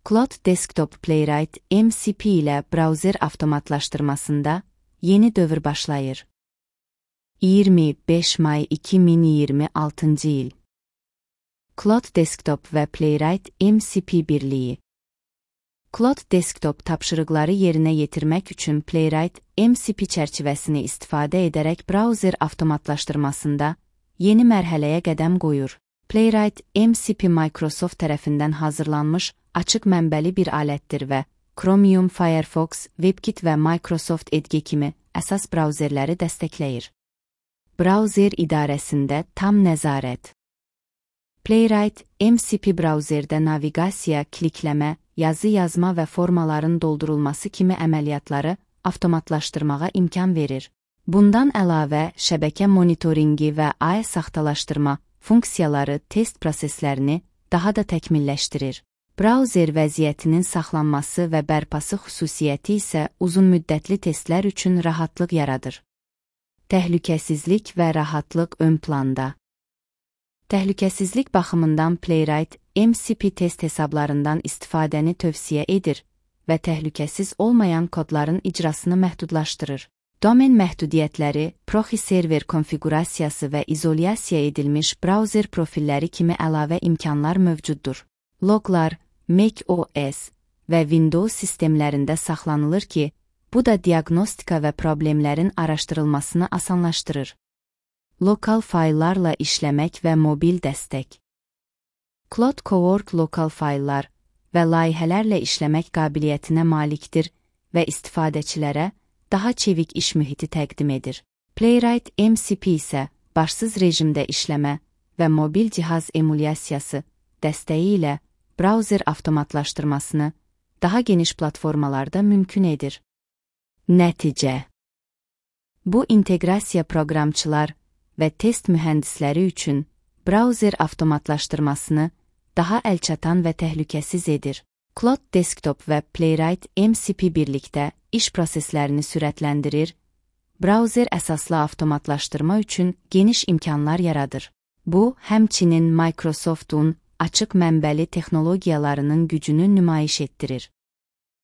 Cloud Desktop Playwright MCP ilə browser avtomatlaşdırmasında yeni dövr başlayır. 25 may 2026 il. Cloud Desktop və Playwright MCP birliyi. Cloud Desktop tapşırıqları yerinə yetirmək üçün Playwright MCP çərçivəsini istifadə edərək browser avtomatlaşdırmasında yeni mərhələyə qədəm qoyur. Playwright MCP Microsoft tərəfindən hazırlanmış açıq mənbəli bir alətdir və Chromium, Firefox, WebKit və Microsoft Edge kimi əsas brauzerləri dəstəkləyir. Brauzer idarəsində tam nəzarət. Playwright MCP brauzerdə naviqasiya, klikləmə, yazı yazma və formaların doldurulması kimi əməliyyatları avtomatlaşdırmağa imkan verir. Bundan əlavə, şəbəkə monitoringi və AI saxtalaşdırma funksiyaları test proseslərini daha da təkmilləşdirir. Brauzer vəziyyətinin saxlanması və bərpası xüsusiyyəti isə uzunmüddətli testlər üçün rahatlıq yaradır. Təhlükəsizlik və rahatlıq ön planda. Təhlükəsizlik baxımından Playwright MCP test hesablarından istifadəni tövsiyə edir və təhlükəsiz olmayan kodların icrasını məhdudlaşdırır. Domen məhdudiyyətləri, proxy server konfiqurasiyası və izolyasiya edilmiş brauzer profilləri kimi əlavə imkanlar mövcuddur. Loglar Mac OS və Windows sistemlərində saxlanılır ki, bu da diaqnostika və problemlərin araşdırılmasını asanlaşdırır. Lokal fayllarla işləmək və mobil dəstək. Cloud Cowork lokal fayllar və layihələrlə işləmək qabiliyyətinə malikdir və istifadəçilərə daha çevik iş mühiti təqdim edir. Playwright MCP isə başsız rejimdə işləmə və mobil cihaz emulyasiyası dəstəyi ilə brauzer avtomatlaşdırmasını daha geniş platformalarda mümkün edir. Nəticə. Bu inteqrasiya proqramçılar və test mühəndisləri üçün brauzer avtomatlaşdırmasını daha əlçatan və təhlükəsiz edir. Cloud Desktop və Playwright MCP birlikdə iş proseslərini sürətləndirir, brauzer əsaslı avtomatlaşdırma üçün geniş imkanlar yaradır. Bu, həmçinin Microsoft'un açıq mənbəli texnologiyalarının gücünü nümayiş etdirir.